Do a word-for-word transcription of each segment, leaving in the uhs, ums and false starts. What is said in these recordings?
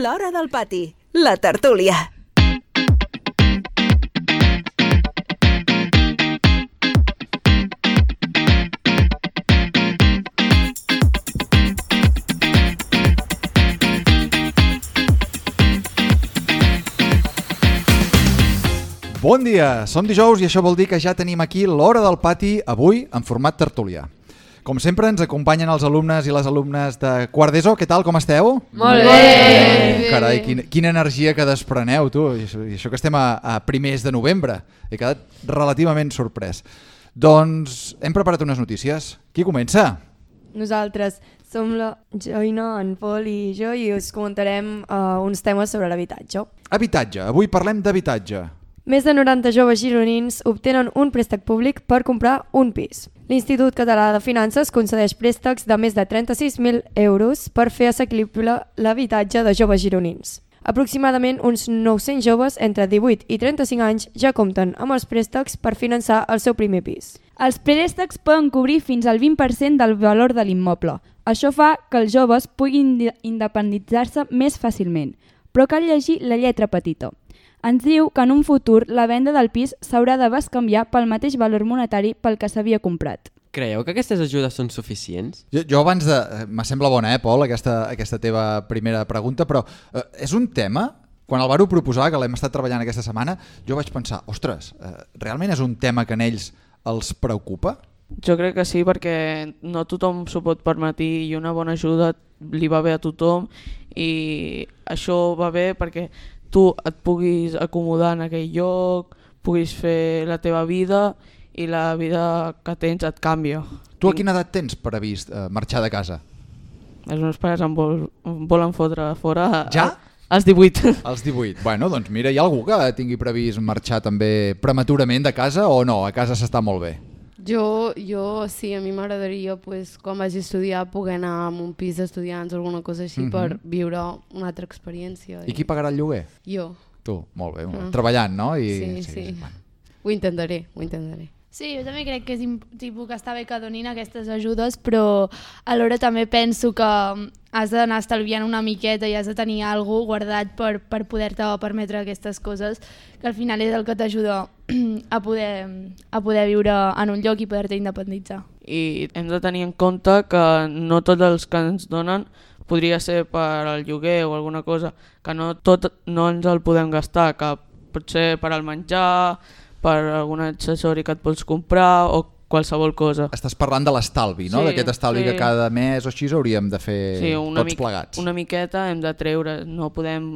L'Hora del Pati, la tertúlia. Bon dia, som dijous i això vol dir que ja tenim aquí l'Hora del Pati, avui en format tertúlia. Com sempre ens acompanyen els alumnes i les alumnes de quart d'ESO. Què tal, com esteu? Molt bé! Carai, quina, quina energia que despreneu, tu. I això, i això que estem a, a primers de novembre. He quedat relativament sorprès. Doncs hem preparat unes notícies. Qui comença? Nosaltres som la Joina, en Pol i jo i us comentarem uh, uns temes sobre l'habitatge. Habitatge. Avui parlem d'habitatge. Més de noranta joves gironins obtenen un préstec públic per comprar un pis. L'Institut Català de Finances concedeix préstecs de més de trenta-sis mil euros per fer assequible l'habitatge de joves gironins. Aproximadament uns nou-cents joves entre divuit i trenta-cinc anys ja compten amb els préstecs per finançar el seu primer pis. Els préstecs poden cobrir fins al vint per cent del valor de l'immoble. Això fa que els joves puguin independitzar-se més fàcilment, però cal llegir la lletra petita. Ens diu que en un futur la venda del pis s'haurà de bescanviar pel mateix valor monetari pel que s'havia comprat. Creieu que aquestes ajudes són suficients? Jo, jo abans de... Me sembla bona, eh, Pol, aquesta, aquesta teva primera pregunta, però eh, és un tema... Quan el vàreu proposar, que l'hem estat treballant aquesta setmana, jo vaig pensar, ostres, eh, realment és un tema que en ells els preocupa? Jo crec que sí, perquè no tothom s'ho pot permetre i una bona ajuda li va bé a tothom i això va bé perquè tu et puguis acomodar en aquell lloc, puguis fer la teva vida i la vida que tens et canvia. Tu a quina edat tens previst eh, marxar de casa? Els meus pares em, vol, em volen fotre fora ja? A, als divuit. Als divuit. Bueno, doncs mira, hi ha algú que tingui previst marxar també prematurament de casa o no? A casa s'està molt bé. Jo, jo sí, a mi m'agradaria, pues, quan vagi a estudiar, poder anar a un pis d'estudiants o alguna cosa així mm-hmm. per viure una altra experiència. I, I qui pagarà el lloguer? Jo. Tu, molt bé. Ah. Treballant, no? I, sí, sí. sí. Bueno. Ho intentaré, ho intentaré. Sí, jo també crec que és tipus que està bé que donin aquestes ajudes, però alhora també penso que has d'anar estalviant una miqueta i has de tenir alguna cosa guardat per, per poder-te permetre aquestes coses, que al final és el que t'ajuda a poder, a poder viure en un lloc i poder-te independitzar. I hem de tenir en compte que no tots els que ens donen podria ser per al lloguer o alguna cosa, que no tot no ens el podem gastar, que pot ser per al menjar, per algun accessori que et vols comprar o qualsevol cosa. Estàs parlant de l'estalvi, no? Sí, d'aquest estalvi sí. que cada mes o així hauríem de fer sí, tots mi- plegats. Una miqueta hem de treure, no podem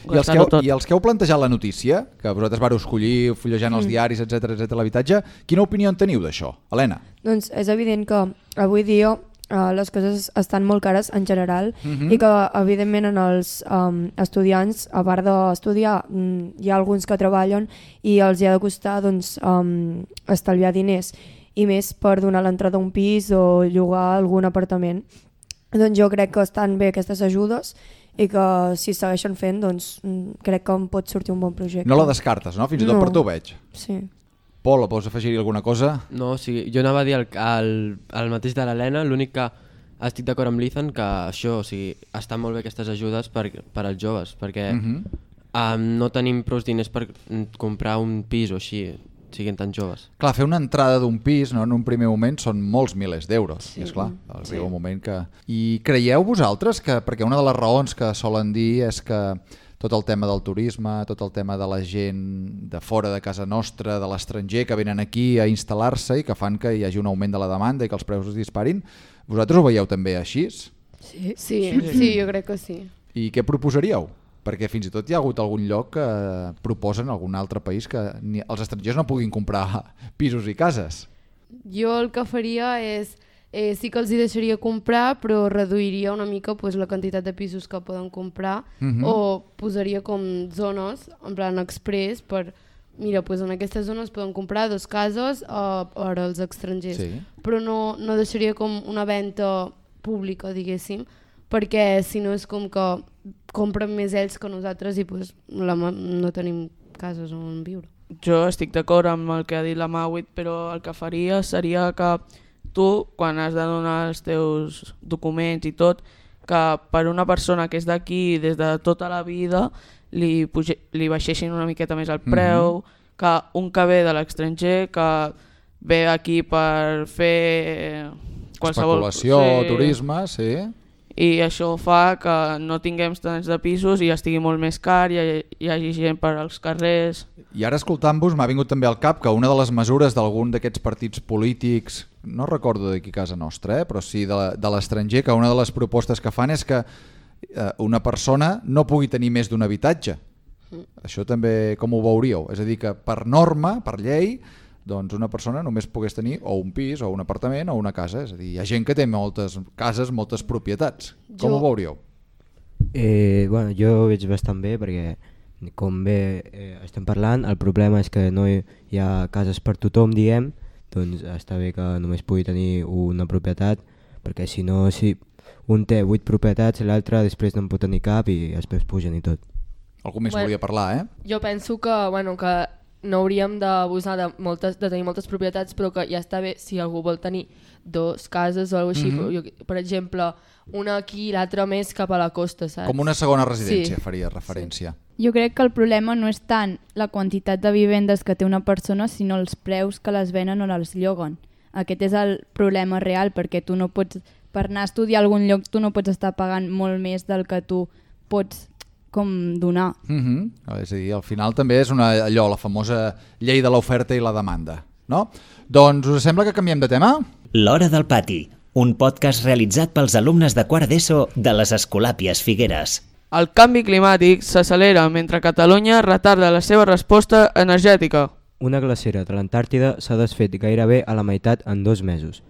I els, que heu, tot. I els que heu plantejat la notícia, que vosaltres vareu escollir fullejant els Mm. diaris, etcètera, etcètera, l'habitatge, quina opinió en teniu d'això? Helena? Doncs és evident que avui dia uh, les coses estan molt cares en general Mhm. i que evidentment en els um, estudiants, a part d'estudiar, um, hi ha alguns que treballen i els hi ha de costar doncs, um, estalviar diners i més per donar l'entrada a un pis o llogar algun apartament. Doncs jo crec que estan bé aquestes ajudes i que si segueixen fent doncs mm, crec que em pot sortir un bon projecte. No la descartes, no? Fins i tot No. per tu ho veig. Sí. Pol, vols afegir-hi alguna cosa? No, o sigui, jo anava a dir el, el, el mateix de l'Helena, l'únic que estic d'acord amb l'Ethan que això, o sigui, estan molt bé aquestes ajudes per, per als joves, perquè Mhm. um, no tenim prou diners per comprar un pis o així, siguin tan joves. Clar, fer una entrada d'un pis, no, en un primer moment són molts milers d'euros, Sí. és clar, arriba Sí. un moment que... I creieu vosaltres que, perquè una de les raons que solen dir és que tot el tema del turisme, tot el tema de la gent de fora de casa nostra, de l'estranger, que venen aquí a instal·lar-se i que fan que hi hagi un augment de la demanda i que els preus es disparin, vosaltres ho veieu també així? Sí, sí, sí, jo crec que sí. I què proposaríeu? Perquè fins i tot hi ha hagut algun lloc que proposen algun altre país que ni els estrangers no puguin comprar pisos i cases. Jo el que faria és, eh, sí que els hi deixaria comprar, però reduiria una mica pues, la quantitat de pisos que poden comprar Mhm. o posaria com zones, en plan express, per, mira, pues, en aquestes zones poden comprar dos cases uh, per als estrangers. Sí. Però no, no deixaria com una venda pública, diguéssim, perquè si no és com que compren més ells que nosaltres i pues, la, no tenim cases on viure. Jo estic d'acord amb el que ha dit la Mauit, però el que faria seria que tu, quan has de donar els teus documents i tot, que per una persona que és d'aquí des de tota la vida li, puge, li baixessin una miqueta més el preu, mm-hmm. que un que ve de l'estranger, que ve aquí per fer qualsevol... Especulació, sí, turisme, sí... I això fa que no tinguem tants de pisos i estigui molt més car, i hi, hi hagi gent per als carrers. I ara escoltant-vos m'ha vingut també al cap que una de les mesures d'algun d'aquests partits polítics, no recordo d'aquí a casa nostra, eh, però sí de, de l'estranger, que una de les propostes que fan és que eh, una persona no pugui tenir més d'un habitatge. Mm. Això també com ho veuríeu? És a dir, que per norma, per llei, doncs una persona només pogués tenir o un pis, o un apartament, o una casa. És a dir, hi ha gent que té moltes cases, moltes propietats. Com Jo... ho veuríeu? Eh, bueno, jo ho veig bastant bé perquè, com bé eh, estem parlant, el problema és que no hi, hi ha cases per tothom, diguem, doncs està bé que només pugui tenir una propietat, perquè si no, si un té vuit propietats i l'altre després no en pot tenir cap i després pugen i tot. Algú més Bueno, volia parlar, eh? Jo penso que, bueno, que no hauríem d'abusar de, moltes, de tenir moltes propietats, però que ja està bé si algú vol tenir dos cases o alguna cosa així. Mm-hmm. Jo, per exemple, una aquí i l'altra més cap a la costa, saps? Com una segona residència, Sí. faria referència. Jo crec que el problema no és tant la quantitat de vivendes que té una persona, sinó els preus que les venen o les lloguen. Aquest és el problema real, perquè tu no pots, per anar a estudiar a algun lloc, tu no pots estar pagant molt més del que tu pots com donar. Mm-hmm. És a dir, al final també és una, allò, la famosa llei de l'oferta i la demanda, no? Doncs us sembla que canviem de tema? L'Hora del Pati, un podcast realitzat pels alumnes de quart d'ESO de les Escolàpies Figueres. El canvi climàtic s'accelera mentre Catalunya retarda la seva resposta energètica. Una glacera de l'Antàrtida s'ha desfet gairebé a la meitat en dos mesos.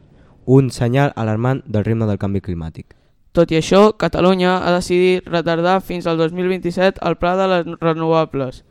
Un senyal alarmant del ritme del canvi climàtic. Tot i això, Catalunya ha decidit retardar fins al dos mil vint-i-set el pla de les renovables,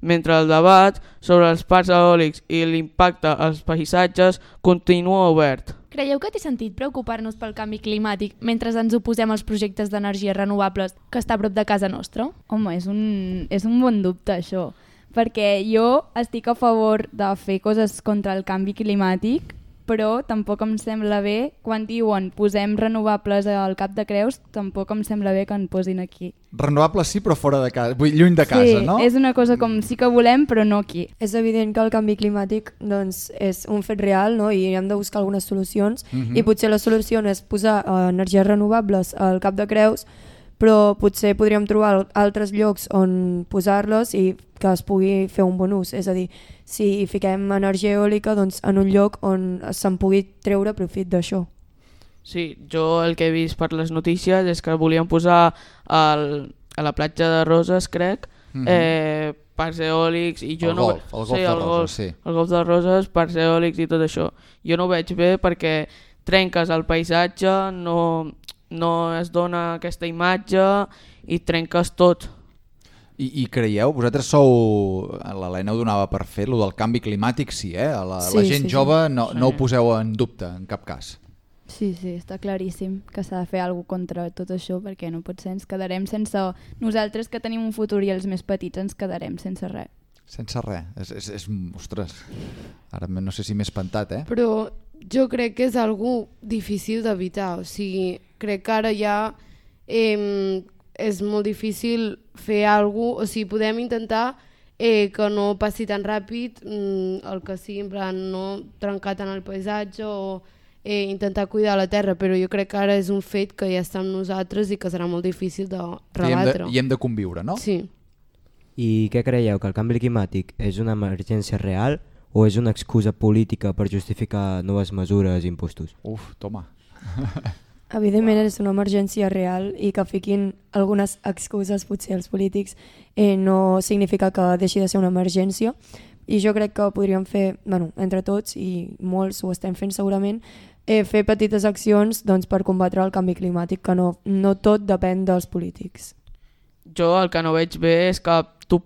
mentre el debat sobre els parcs eòlics i l'impacte als paisatges continua obert. Creieu que té sentit preocupar-nos pel canvi climàtic mentre ens oposem als projectes d'energies renovables que està a prop de casa nostra? Home, és un, és un bon dubte això, perquè jo estic a favor de fer coses contra el canvi climàtic, però tampoc em sembla bé, quan diuen posem renovables al Cap de Creus, tampoc em sembla bé que en posin aquí. Renovables sí, però fora de casa, vull dir, lluny de casa, sí, no? Sí, és una cosa com sí que volem, però no aquí. És evident que el canvi climàtic doncs, és un fet real, no? I hem de buscar algunes solucions, Mhm. i potser la solució no és posar eh, energies renovables al Cap de Creus, però potser podríem trobar altres llocs on posar-les i que es pugui fer un bon ús. És a dir, si fiquem energia eòlica doncs, en un lloc on se'n pugui treure profit d'això. Sí, jo el que he vist per les notícies és que volien posar al, a la platja de Roses, crec, Mhm. eh, parcs eòlics i jo El no... golf, el golf sí, de el Roses, golf, sí. El golf de Roses, parcs eòlics i tot això. Jo no ho veig bé perquè trenques el paisatge, no, no es dona aquesta imatge i trenques tot. I, I creieu, vosaltres sou, l'Helena ho donava per fer, lo del canvi climàtic sí, eh? La, Sí, la gent sí, sí. jove no, Sí. no ho poseu en dubte, en cap cas. Sí, sí, està claríssim que s'ha de fer alguna cosa contra tot això, perquè no pot ser, ens quedarem sense... Nosaltres que tenim un futur i els més petits ens quedarem sense res. Sense res, és, és, és ostres, ara no sé si m'he espantat, eh? Però jo crec que és algo difícil d'evitar, o sigui, crec que ara ja eh, és molt difícil fer alguna cosa, o sigui, podem intentar eh, que no passi tan ràpid, mm, el que sigui, en plan, no trencar tant el paisatge o eh, intentar cuidar la terra, però jo crec que ara és un fet que ja està amb nosaltres i que serà molt difícil de I hem de, rebatre. I hem de conviure, no? Sí. I què creieu, que el canvi climàtic és una emergència real o és una excusa política per justificar noves mesures i impostos? Uf, toma. Evidentment és una emergència real i que fiquin algunes excuses potser als polítics eh, no significa que deixi de ser una emergència, i jo crec que podríem fer, bueno, entre tots, i molts ho estem fent segurament, eh, fer petites accions doncs, per combatre el canvi climàtic, que no, no tot depèn dels polítics. Jo el que no veig bé és que tu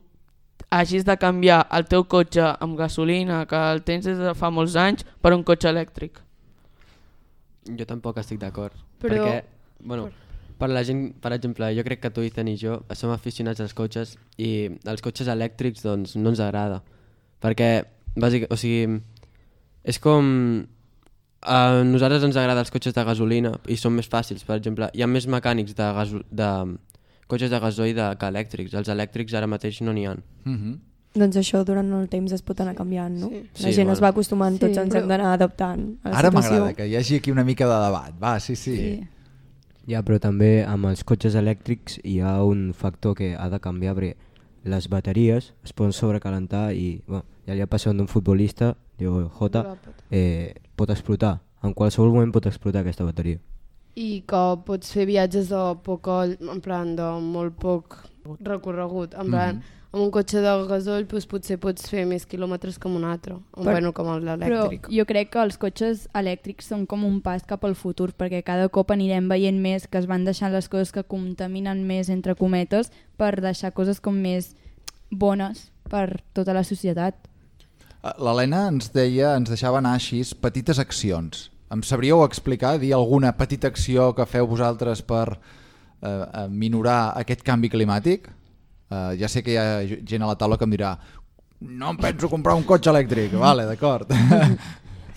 hagis de canviar el teu cotxe amb gasolina, que el tens des de fa molts anys, per un cotxe elèctric. Jo tampoc estic d'acord. Però- Perquè, bueno, per la gent, per exemple, jo crec que tu, Ethan i jo som aficionats als cotxes i els cotxes elèctrics doncs no ens agrada. Perquè, bàsic, o sigui, és com... A nosaltres ens agraden els cotxes de gasolina i són més fàcils, per exemple. Hi ha més mecànics de, gaso de cotxes de gasoil de, que elèctrics. Els elèctrics ara mateix no n'hi ha. Mm-hmm. Doncs això durant el temps es pot anar canviant, no? Sí. La Sí, gent bueno. es va acostumant, Sí, tots ens però- hem d'anar adaptant a la Ara situació. m'agrada que hi hagi aquí una mica de debat. Va, sí, sí. Sí. Ja, però també amb els cotxes elèctrics hi ha un factor que ha de canviar perquè les bateries es poden sobrecalentar i bueno, ja li ha passat d'un futbolista, diu Jota, eh, pot explotar. En qualsevol moment pot explotar aquesta bateria. I que pots fer viatges de poc, en plan de molt poc recorregut, en plan, Mhm. amb un cotxe de gasoil doncs potser pots fer més quilòmetres que amb un altre, o Per- bueno, com Però l'elèctric. jo crec que els cotxes elèctrics són com un pas cap al futur, perquè cada cop anirem veient més que es van deixant les coses que contaminen més, entre cometes, per deixar coses com més bones per tota la societat. L'Helena ens deia, ens deixava anar així petites accions. Em sabríeu explicar, dir alguna petita acció que feu vosaltres per eh, minorar aquest canvi climàtic? Eh, ja sé que hi ha gent a la taula que em dirà no em penso comprar un cotxe elèctric. Vale, d'acord.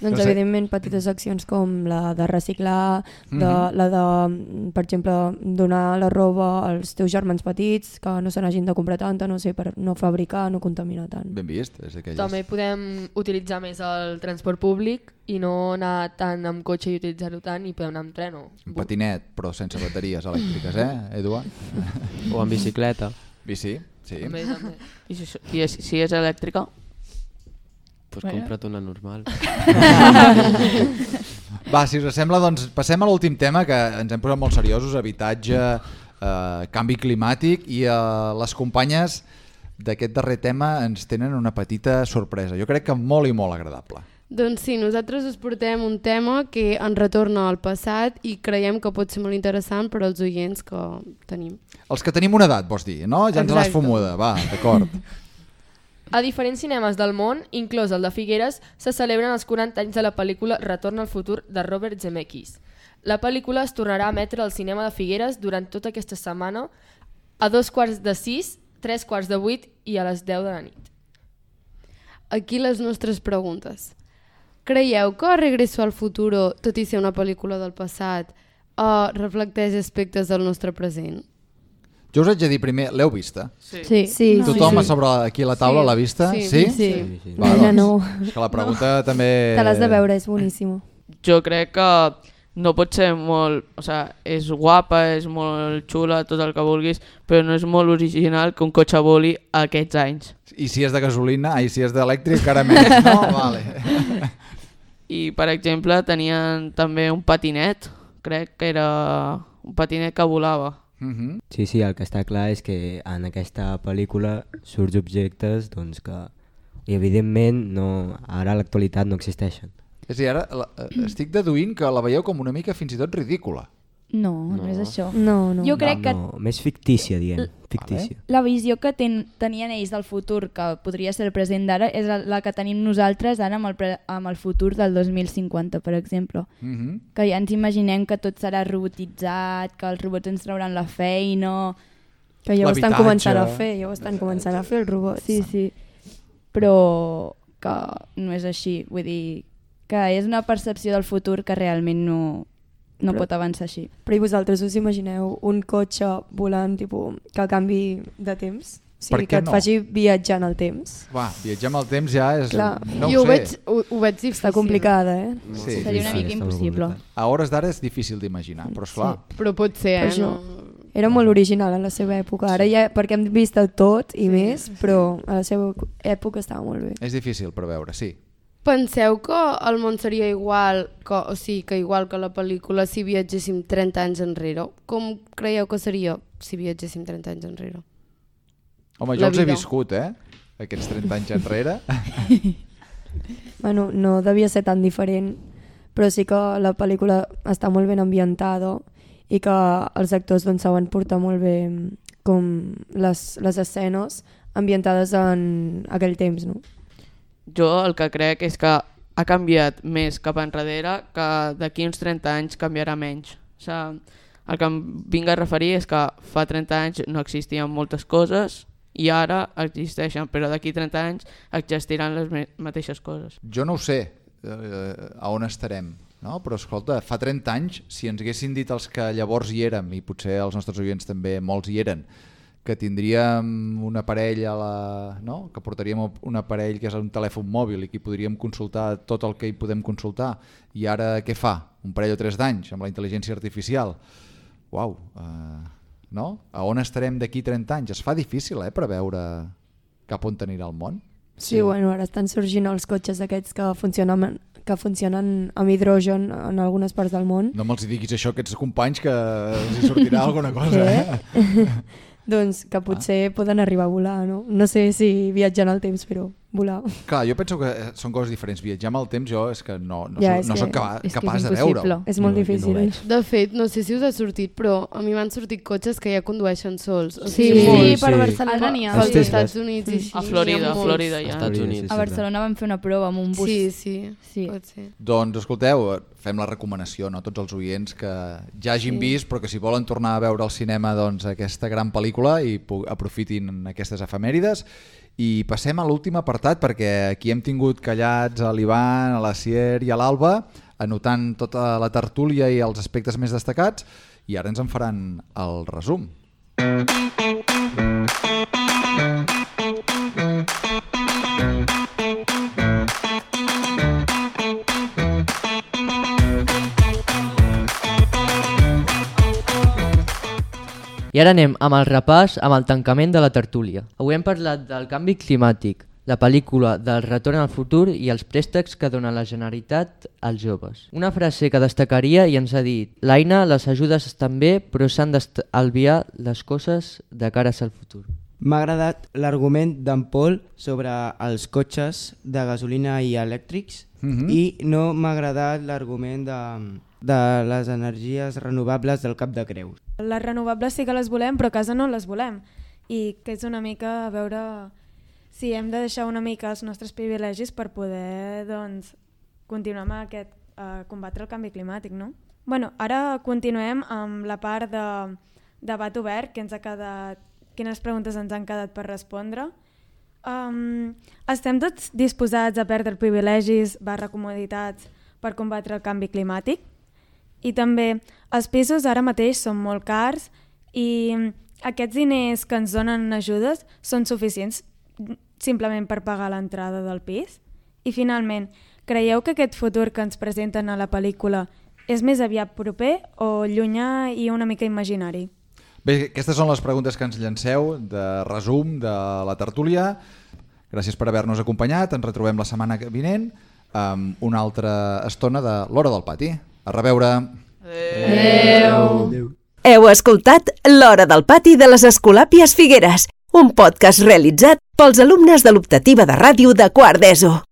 Doncs No sé. evidentment petites accions com la de reciclar, de, Mhm. la de, per exemple, donar la roba als teus germans petits, que no se n'hagin de comprar tanta, no sé, per no fabricar, no contaminar tant. Ben vist, és d'aquelles. També podem utilitzar més el transport públic i no anar tant amb cotxe i utilitzar-ho tant i podem anar amb tren o... Un patinet, però sense bateries elèctriques, eh, Eduard? O amb bicicleta. Bici, sí. També, també. I si, i és, si és elèctrica? Pues Bueno. compra't una normal. Va, si us sembla, doncs passem a l'últim tema, que ens hem posat molt seriosos, habitatge, eh, canvi climàtic, i eh, les companyes d'aquest darrer tema ens tenen una petita sorpresa. Jo crec que molt i molt agradable. Doncs sí, nosaltres us portem un tema que ens retorna al passat i creiem que pot ser molt interessant per als oients que tenim. Els que tenim una edat, vols dir, no? Ja ens l'has Exacte. fumuda, va, d'acord. A diferents cinemes del món, inclòs el de Figueres, se celebren els quaranta anys de la pel·lícula Retorn al futur de Robert Zemeckis. La pel·lícula es tornarà a emetre al cinema de Figueres durant tota aquesta setmana a dos quarts de sis, tres quarts de vuit i a les deu de la nit. Aquí les nostres preguntes. Creieu que Regreso al futuro, tot i ser una pel·lícula del passat, uh, reflecteix aspectes del nostre present? Jo us haig de dir primer, l'heu vista? Sí. Sí, sí. Tothom sí, a sobre aquí a la taula Sí, l'ha vista? sí, Sí? sí. Sí, sí. Va, Nena, doncs, no. és que la pregunta també... Te l'has de veure, és boníssima. Jo crec que no pot ser molt... O sigui, és guapa, és molt xula, tot el que vulguis, però no és molt original que un cotxe voli a aquests anys. I si és de gasolina, i si és d'elèctric, encara més, no? Vale. I, per exemple, tenien també un patinet, crec que era un patinet que volava. Mhm. Sí, sí, el que està clar és que en aquesta pel·lícula surts objectes doncs, que evidentment no, ara a l'actualitat no existeixen. És a dir, ara la, eh, estic deduint que la veieu com una mica fins i tot ridícula. No, no, no és això. No, no. Jo crec que No, més fictícia, diem. Fictícia. la visió que ten, tenien ells del futur, que podria ser el present d'ara, és la, la que tenim nosaltres ara amb el, pre, amb el futur del dos mil cinquanta, per exemple. Mhm. Que ja ens imaginem que tot serà robotitzat, que els robots ens trauran la feina... Que ja ho estan L'habitatge. començant a fer, ja ho estan començant a fer els robots. Sí, sí. Però que no és així. Vull dir que és una percepció del futur que realment no, no Però- pot avançar així. Però i vosaltres us imagineu un cotxe volant tipus, que canvi de temps? O Per sigui, què que et no? faci viatjar en el temps. Va, viatjar amb el temps ja és... Clar. No jo ho ho sé. veig, ho, ho veig difícil. Està complicada, eh? Sí, Seria una sí, mica està molt impossible. complicat. A hores d'ara és difícil d'imaginar, però esclar. Sí. Però pot ser, Per eh? això. No... Era molt original en la seva època. Ara ja, perquè hem vist el tot i més, però a la seva època estava molt bé. És difícil preveure, sí. Penseu que el món seria igual, que, o sigui, que igual que la pel·lícula si viatgéssim trenta anys enrere? Com creieu que seria si viatgéssim trenta anys enrere? Home, jo La els he vida. viscut, eh? Aquests trenta anys enrere. Bueno, no devia ser tan diferent, però sí que la pel·lícula està molt ben ambientada i que els actors doncs, saben portar molt bé com les, les escenes ambientades en aquell temps, no? Jo el que crec és que ha canviat més cap enrere, que d'aquí uns trenta anys canviarà menys. O sigui, el que em vinc a referir és que fa trenta anys no existien moltes coses i ara existeixen, però d'aquí trenta anys existiran les me- mateixes coses. Jo no ho sé eh, a on estarem no? Però escolta, fa trenta anys, si ens haguessin dit els que llavors hi érem, i potser els nostres oients també molts hi eren, que tindríem un aparell a la... no? Que portaríem un aparell que és un telèfon mòbil i que hi podríem consultar tot el que hi podem consultar, i ara què fa? Un parell o tres d'anys amb la intel·ligència artificial. Uau, uh, no? A on estarem d'aquí trenta anys? Es fa difícil, eh, preveure cap on anirà el món. Sí, sí, bueno, ara estan sorgint els cotxes aquests que funcionen, que funcionen amb hidrogen en algunes parts del món. No me'ls diguis això a aquests companys, que els hi sortirà alguna cosa. Eh? Doncs que potser ah. poden arribar a volar, no? No sé si viatjant al temps, però volar. Clar, jo penso que són coses diferents. Viatjar amb el temps jo és que no, no, ja, soc, no que, soc capa, capaç és de veure-ho. És molt no, difícil. No de fet, no sé si us ha sortit, però a mi m'han sortit cotxes que ja condueixen sols. O sí, sigui, sí, sí, per Barcelona n'hi ha. Als Estats Units i així. A Florida, a Florida ja. Estats Units. A Barcelona vam fer una prova amb un bus. Sí, sí, sí. pot ser. Doncs escolteu, fem la recomanació, no? Tots els oients que ja hagin sí. vist, però que si volen tornar a veure al cinema doncs, aquesta gran pel·lícula i aprofitin aquestes efemèrides. I passem a l'últim apartat, perquè aquí hem tingut callats a l'Ivan, a la Sier i a l'Alba, anotant tota la tertúlia i els aspectes més destacats, i ara ens en faran el resum. I ara anem amb el repàs, amb el tancament de la tertúlia. Avui hem parlat del canvi climàtic, la pel·lícula del Retorn al futur i els préstecs que dona la Generalitat als joves. Una frase que destacaria i ens ha dit: l'Aina, les ajudes estan bé, però s'han d'estalviar les coses de cara al futur. M'ha agradat l'argument d'en Pol sobre els cotxes de gasolina i elèctrics mm-hmm. i no m'ha agradat l'argument de... de les energies renovables del Cap de Creus. Les renovables sí que les volem, però a casa no les volem. I que és una mica a veure si hem de deixar una mica els nostres privilegis per poder doncs, continuar amb aquest, a combatre el canvi climàtic, no? Bueno, ara continuem amb la part de debat obert, que ens ha quedat, quines preguntes ens han quedat per respondre. Um, estem tots disposats a perdre privilegis barra comoditats per combatre el canvi climàtic? I també els pisos ara mateix són molt cars i aquests diners que ens donen ajudes són suficients simplement per pagar l'entrada del pis? I finalment, creieu que aquest futur que ens presenten a la pel·lícula és més aviat proper o llunyà i una mica imaginari? Bé, aquestes són les preguntes que ens llanceu de resum de la tertúlia. Gràcies per haver-nos acompanyat. Ens retrobem la setmana vinent amb una altra estona de l'Hora del Pati. A reveure. Adéu. Adéu. Heu escoltat l'Hora del Pati de les Escolàpies Figueres, un podcast realitzat pels alumnes de l'optativa de ràdio de quart d'ESO.